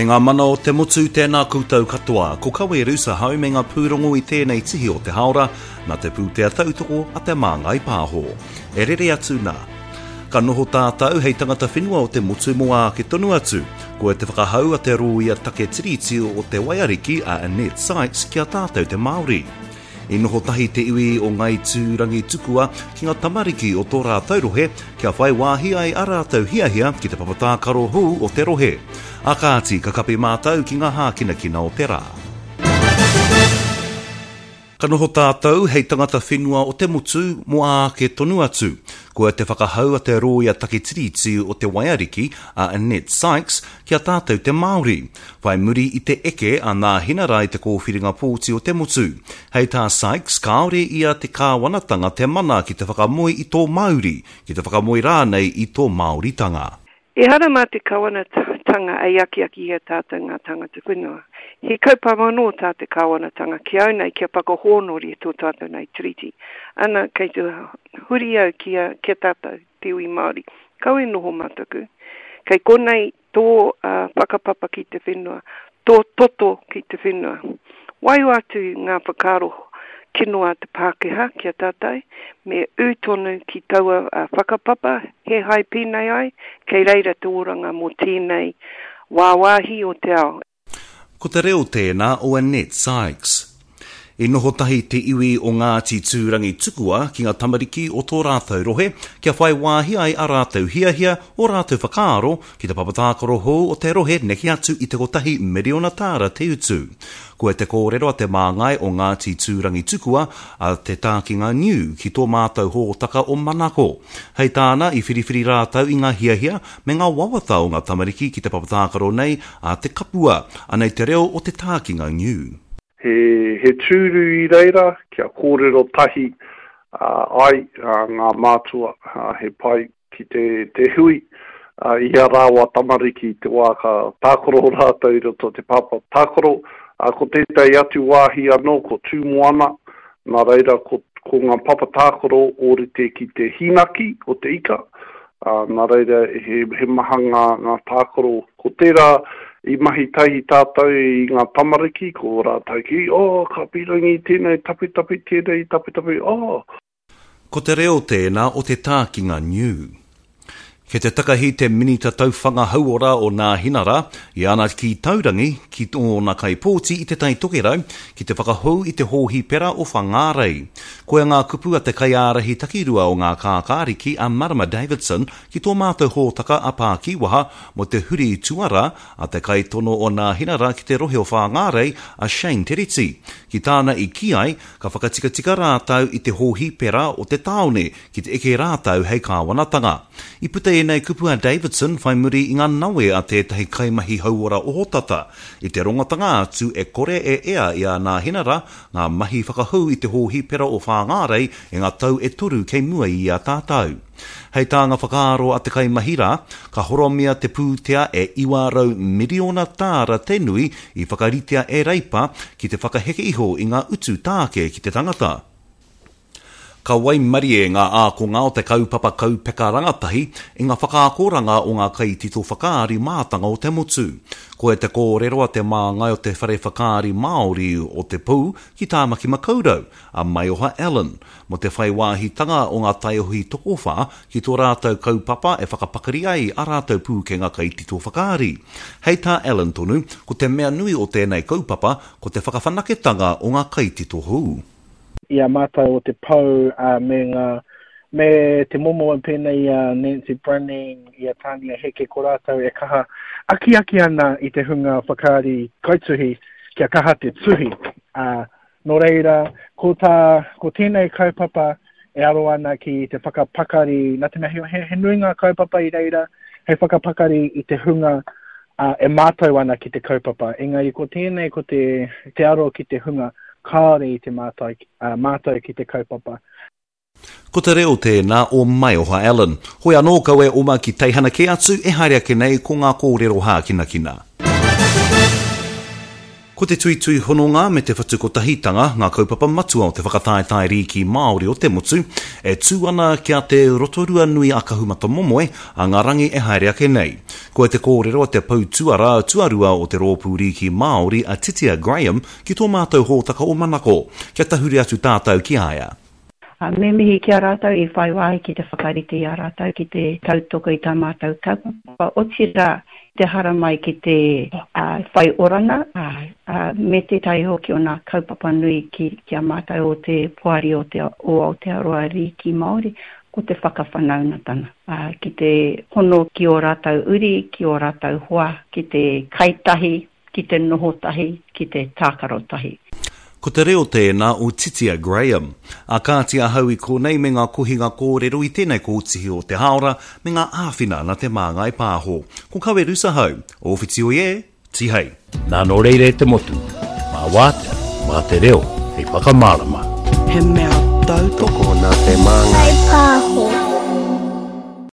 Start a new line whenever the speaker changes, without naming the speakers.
E ngā mana o te motu, tēnā koutou katoa. Ko Kawe Rusa hau me ngā pūrongo i tēnei tihi o te haora, nā te pūtea tautoko a Te Māngai Pāho. E rere atu nā. Ka noho tātou hei tangata whenua o te motu mō āke tonu atu. Koia te whakahau a te rōia take tiriti o te waiariki a Annette Sykes ki a tātou te Māori. I noho tahi te iwi o Ngāi Tūrangitukua ki ngā tamariki o tō rātou rohe kia whai wāhi ai a rātou hiahia ki te papa tākaro hou o te rohe. A kāti, ka kapi mātou ki ngā hākinakina o te rā. Ka noho tātou hei tangata whenua o te motu mō āke tonu atu. Koia te whakahau a te rōia take tiriti o te waiariki, a Annette Sykes, ki a tātou te Māori. Whai muri i te eke a Nāhinara i te kōwhiringa pōti o te motu. Hei tā Sykes, kāore i a te kāwanatanga te mana ki te whakamoe i tō mauri, ki te whakamoe rānei i tō Māoritanga.
Ehara mā te kawanatanga ei akiaki i a tātou ngā tāngata whenua. He kaupapa anō tā te kāwanatanga ki au nei kia whakahōnore tō tātou nei Tiriti. Ana, kei te huri au ki a, ki a tātou, te iwi Māori. Kaua e noho mataku. Kei konei tō whakapapa ki te whenua, tō toto ki te whenua. Waiho atu ngā whakaaro kino a te Pākehā ki a tātou, me ū tonu ki taua whakapapa, he hai pēnei ai, kei reira te oranga mō tēnei wāwāhi o te ao.
Ko te reo tēnā o Annette Sykes. I noho tahi te iwi o Ngāti Tūrangitukua ki ngā tamariki o tō rātou rohe kia whai wāhi ai a rātou hiahia, ō rātou whakaaro ki te papa tākaro hou o te rohe neke atu i te kotahi miriona tāra te utu. Koia te kōrero a te māngai o Ngāti Tūrangitukua, a Te Tākinga Niu ki tō mātou hōtaka o Manako. Hei tāna, i whiriwhiri rātou i ngā hiahia me ngā wawata o ngā tamariki ki te papa tākaro nei a Te Kapua. Anei te reo o Te Tākinga Niu.
He, he tūru i reira kia kōrero tahi ai ngā mātua, he pai ki te, te hui i a rāua tamariki i te wā ka tākaro rātou i roto te papa tākaro. Ko tētahi atu wāhi anō ko Tūmoana, nā reira ko, ko ngā papa tākaro ōrite ki te hīnaki o te ika, Ā, nā reira, he, he maha ngā, ngā tākaro. Ko tērā i mahi tahi tātou i ngā tamariki, ko rātou ki, oh, ka pīrangi tēnei tapitapi, tēnei tapitapi, oh!
Ko te reo tēnā o te tākinga niu. Kei te takahi te Minita Tauwhanga Hauora o Nāhinara i ana kī taurangi ki ōna kaipōti i Te Tai Tokerau ki te whakahou i te hōhipera o Whangārei. Koia ngā kupu a te kaiārahi takirua o ngā kākāriki a Marama Davidson ki tō mātou hōtaka a Pākīwaha mō te huri tuara a te kaitono o Nāhinara ki te rohe o Whāngārei a Shane Tereti. Ki tāna i kī ai, ka whakatikatika rātou i te hōhipera o te tāone ki te eke rātou hei kāwanatanga. I puta ēnei kupu a Davidson whai muri i ngā nawe a tētahi kaimahi hauora ohotata i te rongotanga atu e kore e ea i a Nāhinara ngā mahi whakahou i te hōhipera o Whāngārei i ngā tau e toru kei mua i a tātou. Hei tā ngā whakaaro a te kaimahi rā, ka horomia te pūtea e 900 miriona tāra te nui i whakaritea e Reipa ki te whakaheke iho i ngā utu tāke ki te tangata. Ka waimarie ngā ākonga o te kaupapa kaupeka rangatahi i ngā whakaakoranga o ngā kaitito whakaari mātanga o te motu. Koia te kōrero a te māngai o te Whare Whakaari Māori o Te Pou ki Tāmaki Makaurau, a Maioha Allen, mō te whai wāhitanga o ngā taiohi tokowhā ki tō rātou kaupapa e whakapakari ai ā rātou pūkenga kaitito whakaari. Hei tā Allen tonu, ko te mea nui o tēnei kaupapa ko te whakawhanaketanga o ngā kaitito hou.
i a mātou o te pou me ngā me te momo pēnei i a Nancy Brunning, i a Tania Heke, ko rātou e kaha akiaki ana i te hunga whakaari kaituhi kia kaha te tuhi. Ā, nō reira, ko tā, ko tēnei kaupapa e aro ana ki te whakapakari, nā te mea he, he, he nui ngā kaupapa i reira hei whakapakari i te hunga ā, e mātau ana ki te kaupapa, engari ko tēnei ko te, te aro ki te hunga kāore i te mātai, ā, mātau ki te kaupapa.
Ko te reo tēnā o Maioha Allen. Hoi anō kau e oma ki teihana kē atu e haere ake nei ko ngā kōrero hākinakina. Ko te tuitui hononga me te whatu kotahitanga ngā kaupapa matua o te whakataetae rīki Māori o te motu e tū ana ki a Te Rotorua nui a Kahumatamomoe a ngā rangi e haere ake nei. Koia te kōrero a te pou tuarā tuarua o te Rōpū Rīki Māori a Titia Graham ki tō mātou hōtaka o Manako. Kia tahuri atu tātou ki a ia.
Me mihi ki a rātou i whai wāhi ki te whakarite i a rātou ki te tautoko i tā mātou kaupapa, otirā, te haramai ki te whai oranga, me tētahi hoki o ngā kaupapa nui ki a mātou o te Poari o te o Aotearoa Rīki Māori, ko te whakawhanaungatanga, ki te hono ki ō rātou uri, ki ō rātou hoa, ki te kai tahi, ki te noho tahi, ki te tākaro tahi.
Ko te reo tēnā o Titia Graham. A kāti ahau i konei me ngā kohinga kōrero i tēnei kōtihi o te hāora me ngā āwhina na Te Māngai Pāho. Ko Kawe Rusahau, o Whitioi e, Tihei.
Nā nō reira e te motu, mā wātea, mā te reo hei whakamārama.
He mea tautoko
nā Te Māngai
Pāho.